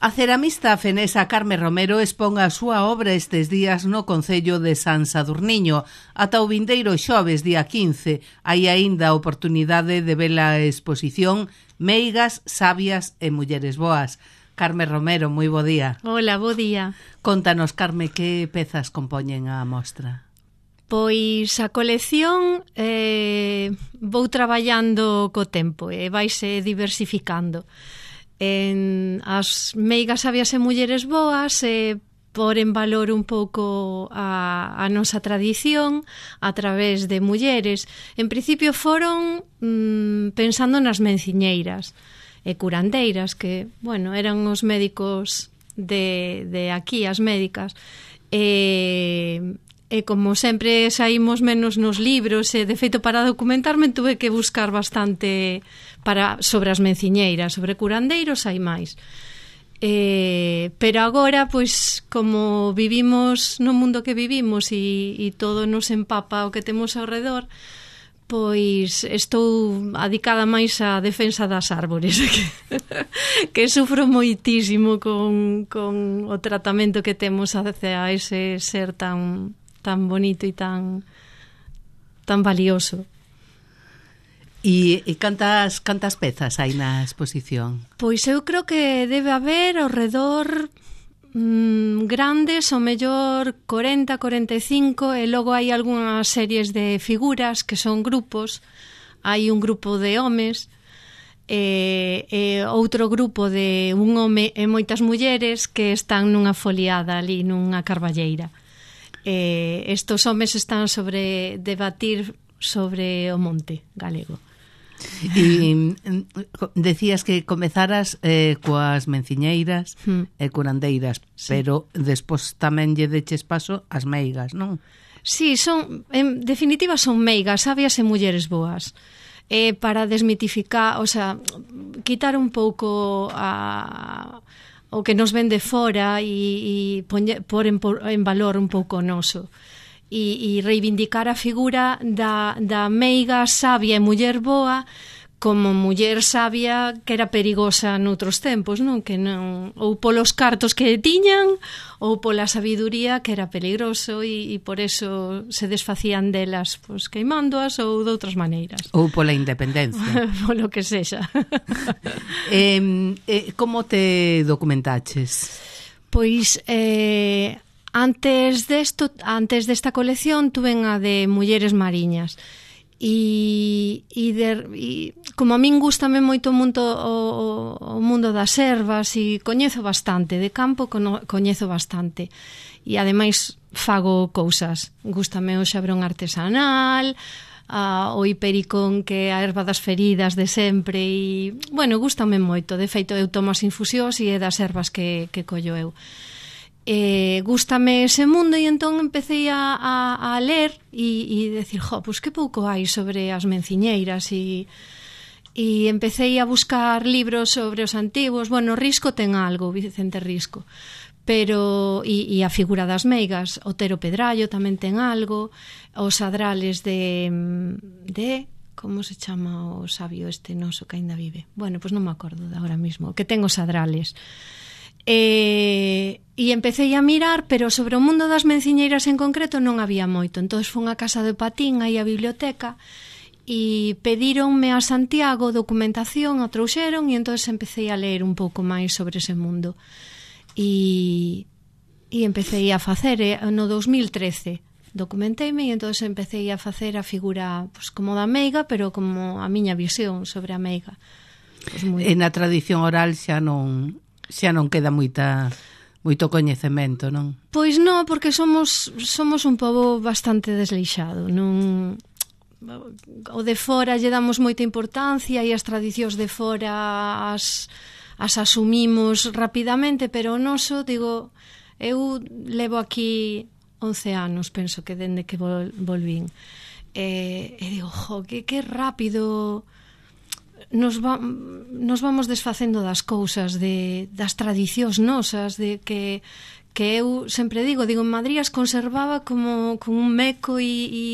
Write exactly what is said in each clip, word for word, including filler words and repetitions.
A ceramista fenesa Carme Romero expón a súa obra estes días no Concello de San Sadurniño. Ata o vindeiro xoves, día quince, hai aínda a oportunidade de ver a exposición Meigas, Sabias e Mulleres Boas. Carme Romero, moi bo día. Hola, bo día. Contanos, Carme, que pezas compoñen a mostra? Pois a colección eh, vou traballando co tempo e vaise diversificando. En as meigas, sabias e mulleres boas e por en valor un pouco a, a nosa tradición a través de mulleres. En principio foron mm, pensando nas menciñeiras e curandeiras, que, bueno, eran os médicos de, de aquí, as médicas. E... E como sempre saímos menos nos libros, e de feito para documentarme tuve que buscar bastante para sobre as menciñeiras, sobre curandeiros hai máis. E, pero agora, pois, como vivimos no mundo que vivimos e, e todo nos empapa o que temos ao redor, pois estou adicada máis á defensa das árbores, que, que sufro moitísimo con, con o tratamento que temos hacia ese ser tan... tan bonito e tan tan valioso. E, e cantas, cantas pezas hai na exposición? Pois eu creo que debe haber ao redor mmm, grandes, ao mellor corenta, corenta e cinco, e logo hai algunhas series de figuras que son grupos. Hai un grupo de homes e, e outro grupo de un home e moitas mulleres que están nunha foliada ali nunha carballeira. Eh, estos homes están sobre debatir sobre o monte galego. E decías que comezaras eh, coas menciñeiras hmm. e curandeiras, sí. Pero despois tamén lle deches paso ás meigas, non? Sí, son, en definitiva son meigas, sabias e mulleres boas. Eh, para desmitificar, o sea, quitar un pouco a... o que nos ven de fora e, e pôr en, en valor un pouco o noso e, e reivindicar a figura da, da meiga sabia e muller boa como muller sabia que era perigosa noutros tempos, non? Que non, ou polos cartos que tiñan ou pola sabiduría que era peligroso e, e por eso se desfacían delas, pois, queimándoas ou de outras maneiras. Ou pola independencia. Polo que sexa. eh, eh, como te documentaches? Pois eh, antes desto, antes desta colección tuve a de mulleres mariñas. E, e, de, e como a min gustame moito o mundo, o, o mundo das ervas e coñezo bastante, de campo coñezo bastante e ademais fago cousas, gustame o xabrón artesanal, a, o hipericón, que é a erva das feridas de sempre e, bueno, gustame moito, de feito eu tomo as infusións e é das ervas que, que collo eu. Eh, gústame ese mundo e entón empecé a, a, a ler e, e decir, jo, pois que pouco hai sobre as menciñeiras e, e empecé a buscar libros sobre os antigos. Bueno, Risco ten algo, Vicente Risco, pero e, e a figura das meigas, Otero Pedrallo tamén ten algo, os adrales de de como se chama o sabio este noso que ainda vive, bueno, pois non me acordo de agora mismo, que ten os adrales. E, e empecé a mirar, pero sobre o mundo das menciñeiras en concreto non había moito. Entón fun a casa de Patín, aí a biblioteca, e pedíronme a Santiago documentación, a trouxeron, e entón empecé a ler un pouco máis sobre ese mundo e, e empecé a facer no dos mil trece documenteime e entón empecé a facer a figura, pues, como da meiga, pero como a miña visión sobre a meiga. Pues moi... E na tradición oral xa non xa non queda moita moito coñecemento, non? Pois non, porque somos somos un pobo bastante desleixado, non o de fora lle damos moita importancia e as tradicións de fora as as asumimos rapidamente, pero o noso, digo, eu levo aquí once anos, penso que dende que vol, volvín. E, e digo, jo, que, que rápido nos, va, nos vamos desfacendo das cousas, de, das tradicións nosas, de que, que eu sempre digo, digo, en Madrid as conservaba como, como un meco e, e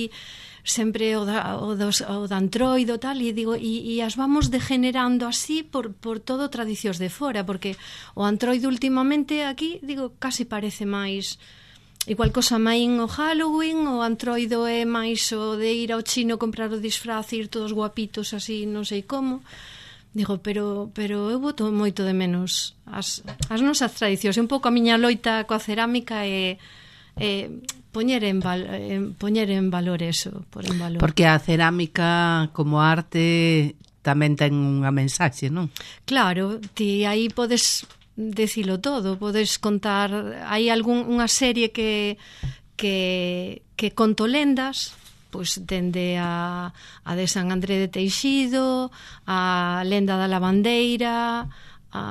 sempre o da, o dos, o da antroido tal, e digo, e, e as vamos degenerando así por, por todo tradicións de fora, porque o antroido últimamente aquí, digo, casi parece máis igual cosa maín o Halloween, o antroido é máis o de ir ao chino comprar o disfraz e ir todos guapitos así, non sei como. Digo, pero pero eu boto moito de menos as, as nosas tradicións, un pouco a miña loita coa cerámica é, é poñer en, val, en poñer en valor eso, por en valor. Porque a cerámica como arte tamén ten unha mensaxe, non? Claro, ti aí podes decilo todo, podes contar, hai algún unha serie que que que conto lendas, pois dende a a de San André de Teixido, a lenda da lavandeira, a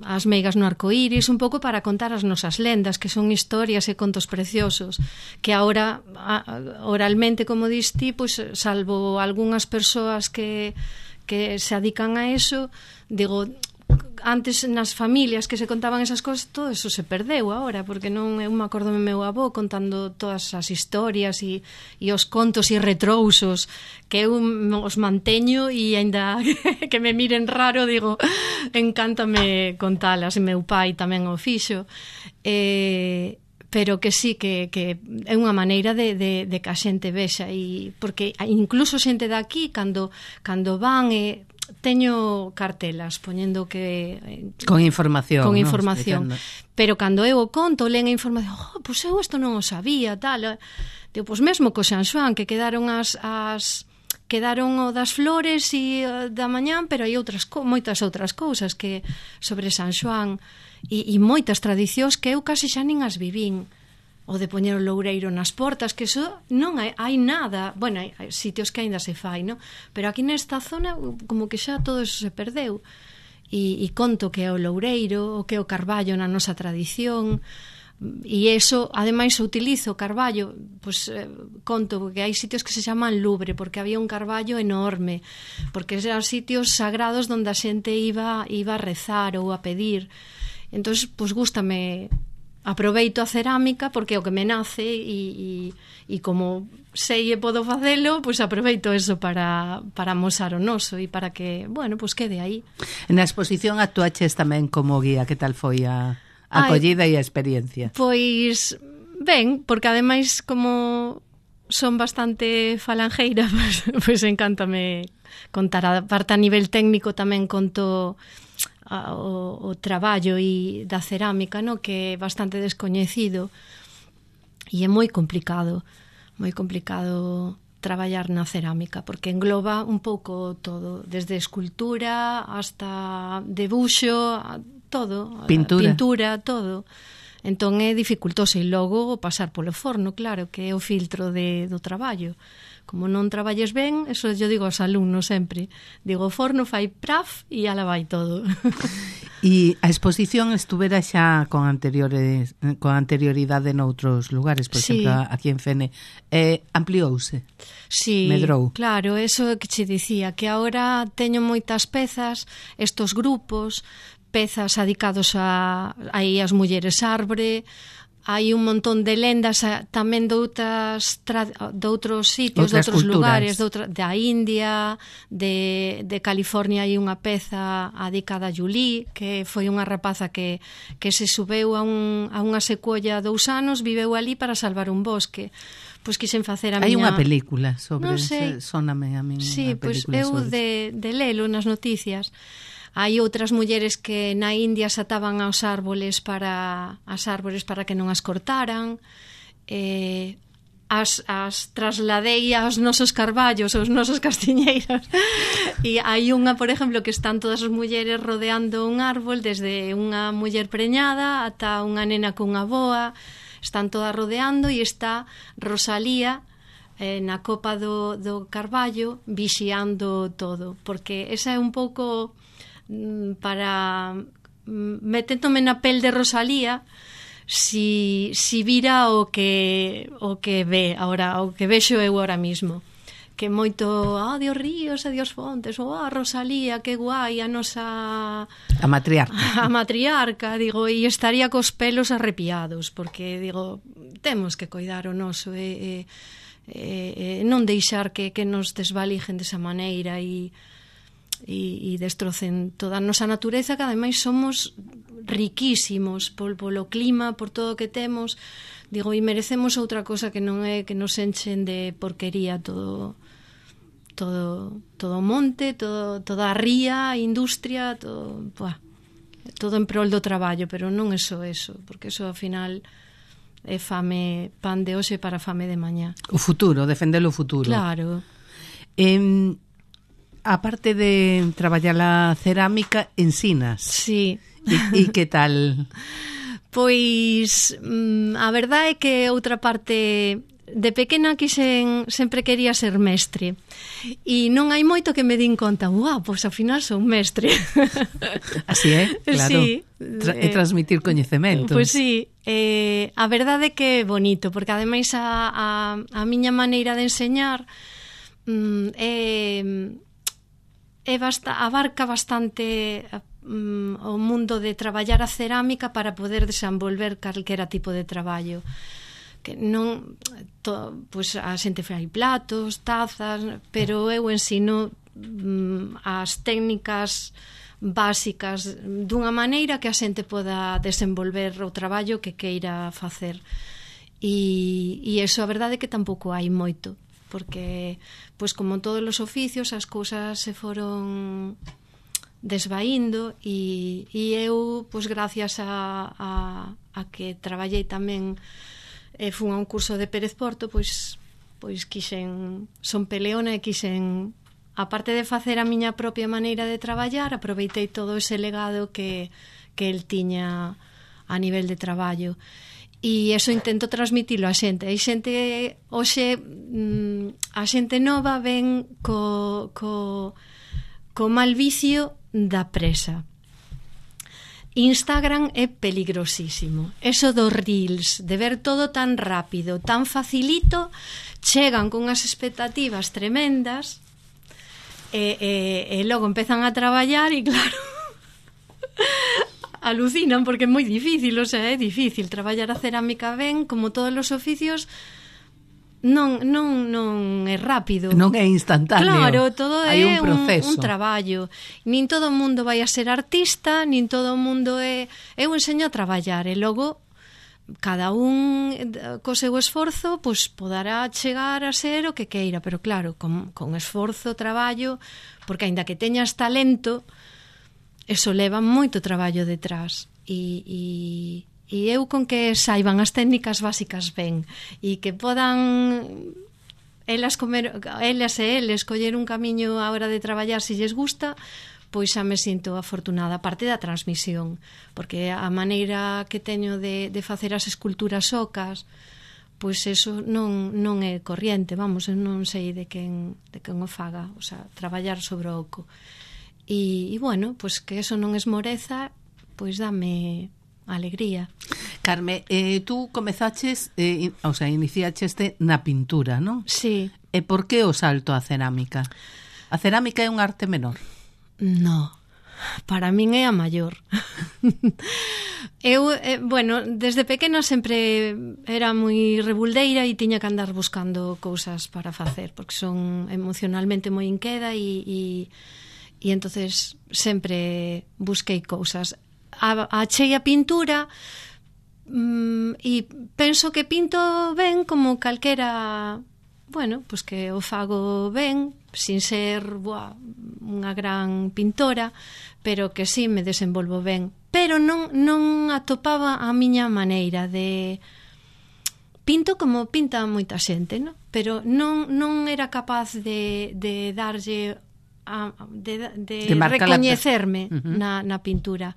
as meigas no arcoíris, un pouco para contar as nosas lendas, que son historias e contos preciosos, que agora oralmente, como dis ti, pois, salvo algunhas persoas que, que se adican a eso, digo, antes nas familias que se contaban esas cosas, todo eso se perdeu agora, porque non, eu me acordo do meu avó contando todas as historias e, e os contos e retrousos que eu os manteño, e aínda que me miren raro, digo, encántame contalas, e meu pai tamén o fixo, eh, pero que sí, que, que é unha maneira de, de, de que a xente vexa, e porque incluso xente daqui, cando, cando van e eh, teño cartelas poñendo que con información, con ¿no? información, pero cando eu o conto, len a información, oh, pois eu isto non o sabía, tal. Digo, pois mesmo co San Xoán, que quedaron as as quedaron o das flores e da mañán, pero hai outras moitas outras cousas que sobre San Xoán e, e moitas tradicións que eu casi xa nin as vivín. O de poñer o loureiro nas portas, que eso non hai, hai nada, bueno, hai, hai sitios que aínda se fai, no? Pero aquí nesta zona como que xa todo eso se perdeu, e, e conto que é o loureiro, o que é o carballo na nosa tradición, e eso, ademais, utilizo o carballo, pues, eh, conto que hai sitios que se chaman Louvre, porque había un carballo enorme, porque eran sitios sagrados onde a xente iba, iba a rezar ou a pedir. Entón, pues, gústame, aproveito a cerámica porque é o que me nace, e, e, e como sei e podo facelo, pois aproveito eso para, para amosar o noso e para que, bueno, pois quede aí. Na exposición actuaches tamén como guía, que tal foi a acollida e a experiencia? Pois ben, porque ademais como son bastante falangeira, pois, pois encántame contar. A parte a nivel técnico tamén conto A, o, o traballo e da cerámica, no, que é bastante descoñecido e é moi complicado moi complicado traballar na cerámica, porque engloba un pouco todo, desde escultura hasta debuxo, todo, pintura, pintura todo. Entón é dificultoso, e logo pasar polo forno, claro, que é o filtro de, do traballo. Como non traballes ben, eso yo digo aos alumnos sempre. Digo, o forno fai praf e ala vai todo. E a exposición estuvera xa con anteriores con anterioridade noutros lugares, por sí. exemplo, aquí en Fene. Eh, ampliouse? Sí, medrou? Claro, eso que che dicía, que agora teño moitas pezas, estos grupos, pezas adicados a aí as mulleres arbre. Hai un montón de lendas tamén de outras de outros sitios, outras de outros culturas. lugares, de outra, da India, de, de California. Hai unha peza adicada a Julie, que foi unha rapaza que, que se subeu a, un, a unha secuolla dous anos, viveu ali para salvar un bosque. Pois quixen facer a Hai miña... unha película sobre, non sei. Sóname a min. Sí, pois película eu sobre... de, de lelo nas noticias. Hai outras mulleres que na India se ataban aos árboles para as árboles para que non as cortaran. Eh, as, as trasladei aos nosos carballos, aos nosos castiñeiros. E hai unha, por exemplo, que están todas as mulleres rodeando un árbol, desde unha muller preñada ata unha nena cunha boa, están todas rodeando, e está Rosalía eh, na copa do, do carballo vixiando todo, porque esa é un pouco para meténdome na pel de Rosalía, si, si vira o que o que ve ahora, o que vexo eu ahora mismo, que moito, ah, Dios ríos e Dios fontes, ou ah, Rosalía, que guai, a nosa a matriarca a matriarca, digo, e estaría cos pelos arrepiados, porque digo, temos que coidar o noso, e, e eh, non deixar que, que nos desvalijen desa maneira e, e, e destrocen toda a nosa natureza, que ademais somos riquísimos pol, polo clima, por todo o que temos, digo, e merecemos outra cosa que non é que nos enchen de porquería todo todo todo o monte, todo, toda a ría, a industria, todo, buah, todo en prol do traballo, pero non é só eso, porque eso ao final é fame, pan de hoxe para fame de mañá. O futuro, defender o futuro. Claro. Eh, aparte de traballar a cerámica, ensinas. Sí. E, e que tal? Pois mm, a verdade é que outra parte, de pequena quixen, sempre quería ser mestre, e non hai moito que me din conta, uau, pois ao final son mestre. Así é, claro. Sí. Tra e transmitir coñecementos. Pois sí, eh, a verdade é que é bonito, porque ademais a, a, a miña maneira de enseñar mm, é, é basta, abarca bastante mm, o mundo de traballar a cerámica para poder desenvolver calquera tipo de traballo. Que non to, pois a xente fai platos, tazas, pero eu ensino mm, as técnicas básicas dunha maneira que a xente poda desenvolver o traballo que queira facer. E, e eso a verdade é que tampouco hai moito, porque pois como todos os oficios as cousas se foron desvaíndo e, e eu, pois gracias a, a, a que traballei tamén e fun a un curso de Pérez Porto, pois pois quixen, son peleona e quixen, aparte de facer a miña propia maneira de traballar, aproveitei todo ese legado que, que el tiña a nivel de traballo. E eso intento transmitilo a xente. Hai xente, hoxe, a xente nova ven co, co, co mal vicio da presa. Instagram é peligrosísimo. Eso dos reels, de ver todo tan rápido, tan facilito, chegan con unhas expectativas tremendas e, e, e logo empezan a traballar e claro, alucinan porque é moi difícil, o sea, é difícil traballar a cerámica ben, como todos os oficios. Non, non, non é rápido. Non é instantáneo. Claro, todo é un, un, un traballo. Nin todo o mundo vai a ser artista, nin todo o mundo é... Eu enseño a traballar e logo cada un co seu esforzo pois poderá chegar a ser o que queira, pero claro, con, con esforzo, traballo, porque aínda que teñas talento, eso leva moito traballo detrás. E... e E eu con que saiban as técnicas básicas ben e que podan elas comer, elas e eles coller un camiño á hora de traballar se lles gusta, pois xa me sinto afortunada, a parte da transmisión, porque a maneira que teño de, de facer as esculturas ocas, pois eso non, non é corriente, vamos, eu non sei de quen, de quen o faga, o sea, traballar sobre o oco. E, e bueno, pois que eso non esmoreza, pois dame alegría. Carme, eh, tú comezaches, eh, o sea, iniciacheste na pintura, non? Sí. E por que o salto á cerámica? A cerámica é un arte menor? No, para min é a maior. Eu, eh, bueno, desde pequena sempre era moi rebuldeira e tiña que andar buscando cousas para facer, porque son emocionalmente moi inqueda e, e, e entonces sempre busquei cousas. A, achei a pintura mm, e penso que pinto ben como calquera, bueno, pois que o fago ben, sin ser buah, unha gran pintora, pero que sí me desenvolvo ben, pero non, non atopaba a miña maneira de pinto como pinta moita xente, no? Pero non, non era capaz de, de darlle a, de, de, de recoñecerme la... uh-huh. na, na pintura.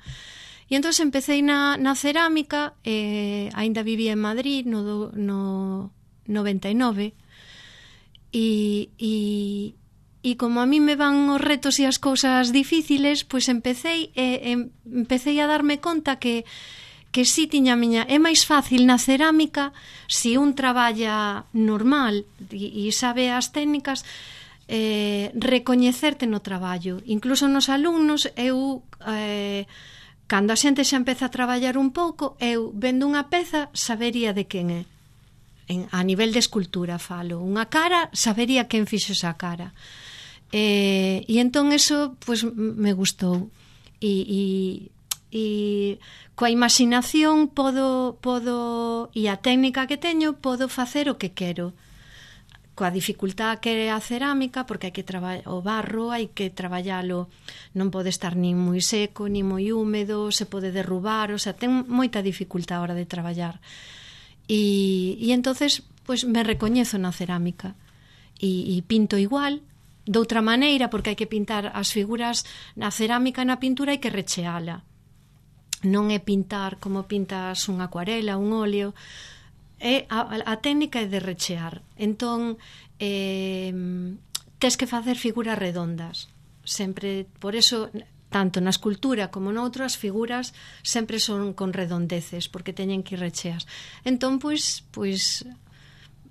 E entón empecé na, na cerámica, eh, aínda vivía en Madrid no, no noventa e nove, e, e, e como a mí me van os retos e as cousas difíciles, pois empecé, eh, empecé a darme conta que, que si tiña a miña... É máis fácil na cerámica, se un traballa normal e, e sabe as técnicas, eh, recoñecerte no traballo. Incluso nos alumnos, eu... Eh, cando a xente xa empeza a traballar un pouco, eu, vendo unha peza, sabería de quen é. en, a nivel de escultura falo. Unha cara, sabería quen fixo esa cara. E, e entón eso, pois, me gustou. E, e, e coa imaginación podo, podo, e a técnica que teño, podo facer o que quero. Coa dificultad que é a cerámica, porque hai que traballar o barro, hai que traballalo, non pode estar nin moi seco, nin moi húmedo, se pode derrubar, o sea, ten moita dificultad a hora de traballar. E, e entonces, pois, me recoñezo na cerámica e, e pinto igual, de outra maneira, porque hai que pintar as figuras na cerámica, na pintura hai que recheala. Non é pintar como pintas unha acuarela, un óleo. É, a, a técnica é de rechear. Entón, eh, tes que facer figuras redondas. Sempre, por eso, tanto na escultura como noutras figuras sempre son con redondeces, porque teñen que ir recheas. Entón, pois, pois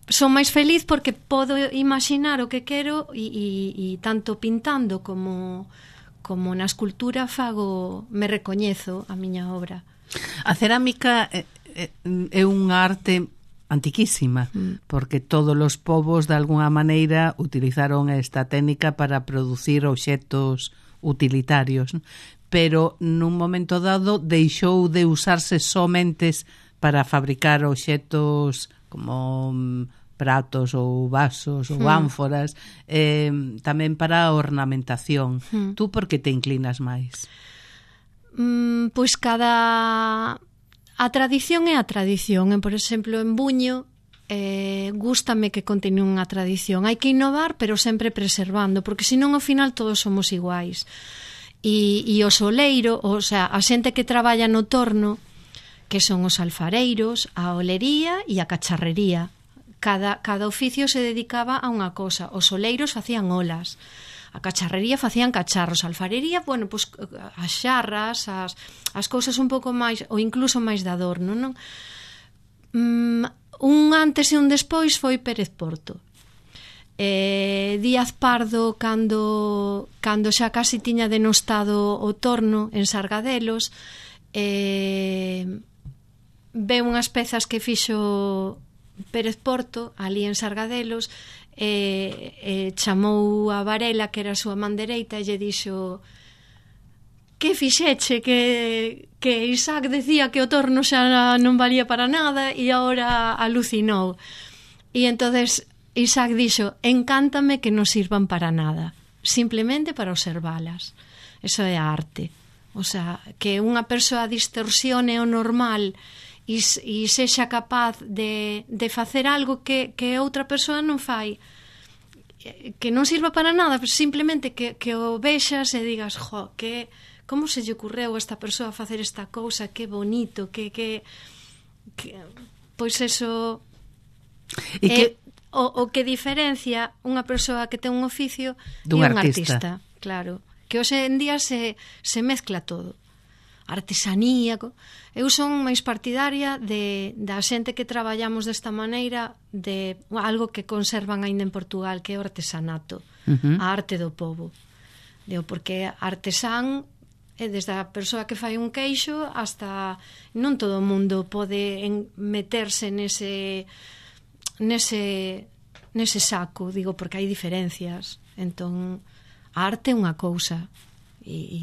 son máis feliz porque podo imaginar o que quero e, e, e tanto pintando como, como na escultura fago, me recoñezo a miña obra. A cerámica é, é unha arte antiquísima, mm. porque todos os povos de alguna maneira utilizaron esta técnica para producir obxetos utilitarios, ¿no? Pero nun momento dado deixou de usarse somentes para fabricar obxetos como pratos ou vasos ou mm. ánforas, eh, tamén para a ornamentación. Mm. Tú por que te inclinas máis? Mm, pois cada... A tradición é a tradición. Por exemplo, en Buño eh, gústame que continúen a tradición. Hai que innovar, pero sempre preservando, porque senón ao final todos somos iguais. E, e o soleiro, o sea, a xente que traballa no torno, que son os alfareiros, a olería e a cacharrería. Cada, cada oficio se dedicaba a unha cosa. Os soleiros facían olas. A cacharrería facían cacharros, a alfarería, bueno, pues, as xarras, as, as cousas un pouco máis, ou incluso máis de adorno, non? Mm, un antes e un despois foi Pérez Porto. Eh, Díaz Pardo, cando, cando xa casi tiña denostado o torno en Sargadelos, eh, ve unhas pezas que fixo Pérez Porto, ali en Sargadelos, E, e chamou a Varela, que era a súa man dereita, e lle dixo: que fixeche, que, que Isaac decía que o torno xa non valía para nada e agora alucinou. E entonces Isaac dixo: encántame que non sirvan para nada, simplemente para observalas. Eso é a arte. O sea, que unha persoa distorsione o normal e, e sexa capaz de, de facer algo que, que outra persoa non fai, que non sirva para nada, simplemente que, que o vexas e digas: jo, que, como se lle ocurreu a esta persoa facer esta cousa, que bonito, que, que, que pois eso e que... é o, o que diferencia unha persoa que ten un oficio e un artista. artista. Claro, que hoxe en día se, se mezcla todo. Artesanía. Eu son máis partidaria de, da xente que traballamos desta maneira, de algo que conservan aínda en Portugal, que é o artesanato, uh-huh. a arte do povo. Digo, porque artesán é desde a persoa que fai un queixo hasta non todo o mundo pode en, meterse nese nese nese saco, digo, porque hai diferencias. Entón, a arte é unha cousa e, e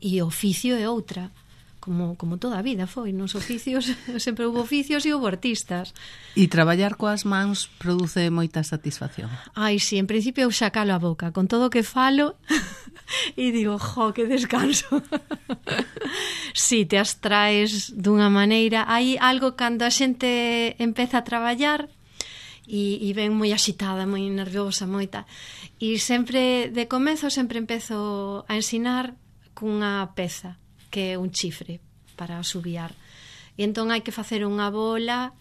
e o oficio é outra, como, como toda a vida foi, nos oficios sempre houve oficios e houve artistas. E traballar coas mans produce moita satisfacción? Ai, sí, en principio eu xa calo a boca con todo o que falo e digo, jo, que descanso. Sí, te abstraes dunha maneira. Hai algo cando a xente empeza a traballar e, e ven moi axitada, moi nerviosa, moita, e sempre, de comezo, sempre empezo a ensinar cunha peza que é un chifre para subiar, e entón hai que facer unha bola,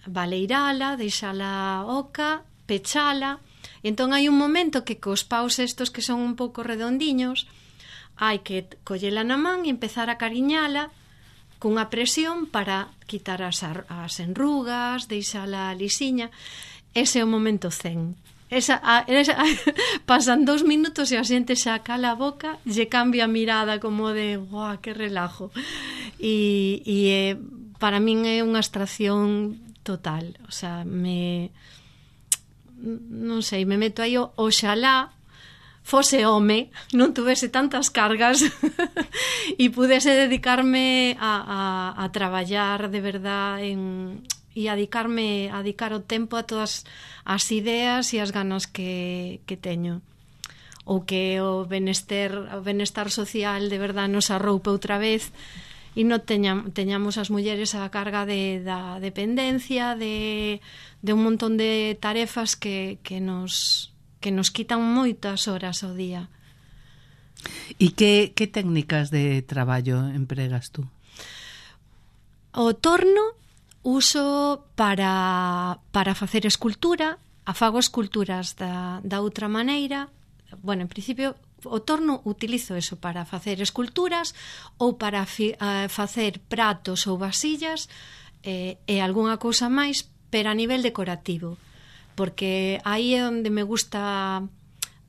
baleirala, deixala oca, pechala, e entón hai un momento que cos paus estos que son un pouco redondiños hai que collela na man e empezar a cariñala cunha presión para quitar as, as enrugas, deixala lisiña. Ese é o momento zen. Esa, a, esa, a, pasan dous minutos e a xente xa cala a boca, lle cambia a mirada como de guau, que relajo. E, e eh, para min é unha abstracción total. O sea, me... non sei, me meto aí, oxalá fose home, non tuvese tantas cargas e pudese dedicarme a, a, a traballar de verdad en, e a dedicarme a dedicar o tempo a todas as ideas e as ganas que, que teño, ou que o benester, o benestar social de verdad nos arroupe outra vez e non teña, teñamos as mulleres a carga de, da dependencia, de, de un montón de tarefas que, que nos... que nos quitan moitas horas ao día. E que, que técnicas de traballo empregas tú? O torno uso para, para facer escultura, afago esculturas da, da outra maneira. Bueno, en principio, o torno utilizo eso para facer esculturas ou para fi, uh, facer pratos ou vasillas eh, e algunha cousa máis, pero a nivel decorativo. Porque aí é onde me gusta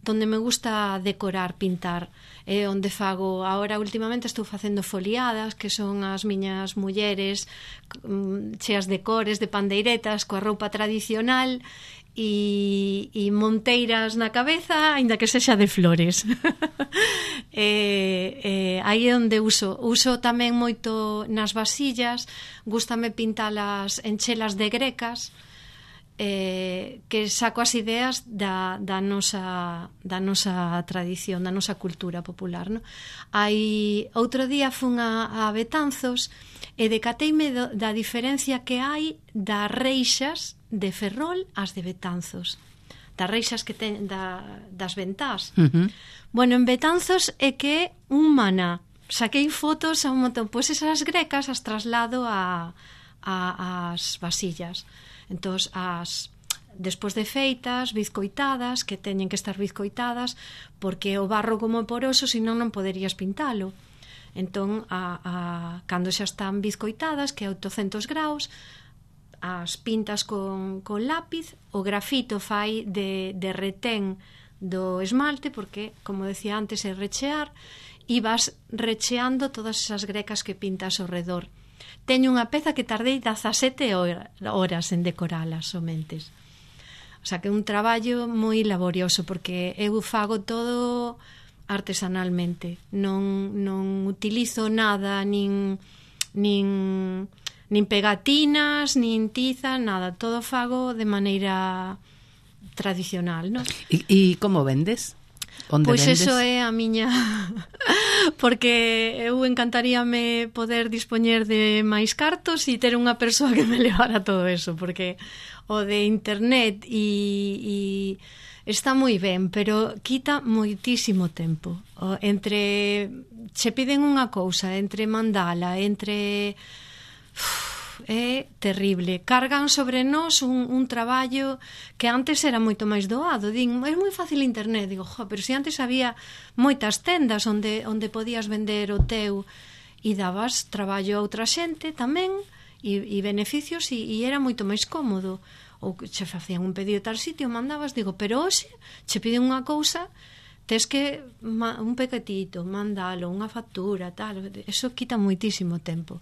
onde me gusta decorar, pintar, é onde fago. Agora últimamente estou facendo foliadas, que son as miñas mulleres cheas de cores, de pandeiretas, coa roupa tradicional e, e monteiras na cabeza, aínda que sexa de flores. e, e, aí é onde uso uso tamén moito nas vasillas, gústame pintalas en chelas de grecas, Eh, que saco as ideas da, da, nosa, da nosa tradición, da nosa cultura popular, no? Hai, outro día fun a, a Betanzos e decateime do, da diferencia que hai das reixas de Ferrol ás de Betanzos, das reixas que ten, da, das ventás. Uh-huh. Bueno, en Betanzos é que un maná. Saquei fotos a un montón, pois esas grecas as traslado a, a, as vasillas. Entón, as, despois de feitas, bizcoitadas, que teñen que estar bizcoitadas, porque o barro como é poroso, senón non poderías pintalo. Entón, a, a, cando xa están bizcoitadas, que é oitocentos graus, as pintas con, con lápiz, o grafito fai de, de retén do esmalte, porque, como decía antes, é rechear, e vas recheando todas esas grecas que pintas ao redor. Teño unha peza que tardei dezasete horas en decoralas somentes. O sea, que é un traballo moi laborioso, porque eu fago todo artesanalmente. Non, non utilizo nada, nin, nin, nin pegatinas, nin tiza, nada. Todo fago de maneira tradicional, non? E, e como vendes? Onde pois vendes? Eso é a miña... porque eu encantaríame poder dispoñer de máis cartos e ter unha persoa que me levara todo eso, porque o de internet e, e está moi ben, pero quita moitísimo tempo. O, entre che piden unha cousa, entre mandala, entre... Uf, é terrible. Cargan sobre nós un, un traballo que antes era moito máis doado. Din, é moi fácil internet. Digo, jo, pero se antes había moitas tendas onde, onde podías vender o teu e dabas traballo a outra xente tamén e, e beneficios e, e era moito máis cómodo. Ou che facían un pedido tal sitio, mandabas, digo, pero hoxe che piden unha cousa, tes que un pequetito, mandalo, unha factura, tal. Eso quita moitísimo tempo.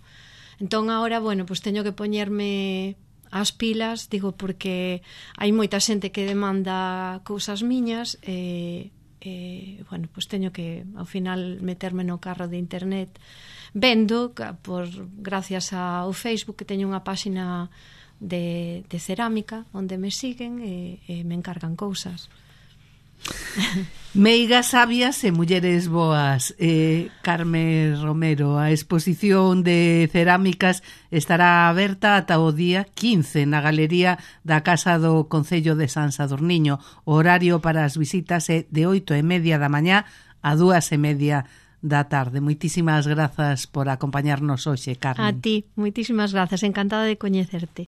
Entón, agora, bueno, pues teño que poñerme as pilas, digo, porque hai moita xente que demanda cousas miñas e, e bueno, pues teño que, ao final, meterme no carro de internet. Vendo, por, gracias ao Facebook, que teño unha páxina de, de cerámica, onde me siguen e, e me encargan cousas. Meigas sabias e mulleres boas. eh, Carme Romero, a exposición de cerámicas estará aberta ata o día quince na galería da Casa do Concello de San Sadurniño. O horario para as visitas é de oito e media da mañá a dúas e media da tarde. Moitísimas grazas por acompañarnos hoxe, Carme. A ti, moitísimas grazas, encantada de coñecerte.